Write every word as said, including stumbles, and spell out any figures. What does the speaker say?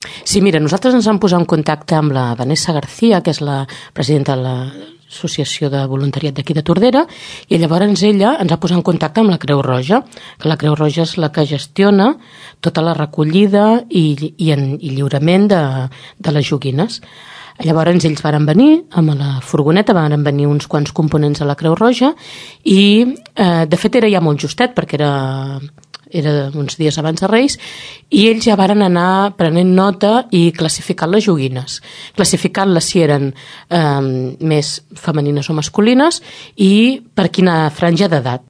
Sí, mira, nosaltres ens vam posar en contacte amb la Vanessa García, que és la presidenta de l'Associació de Voluntariat d'aquí de Tordera, i llavors ella ens va posar en contacte amb la Creu Roja, que la Creu Roja és la que gestiona tota la recollida i, i, en, i lliurament de, de les joguines. Llavors ells varen venir amb la furgoneta, varen venir uns quants components de la Creu Roja i eh, de fet era ja molt justet perquè era, era uns dies abans de Reis i ells ja varen anar prenent nota i classificant les joguines, classificant-les si eren eh, més femenines o masculines i per quina franja d'edat.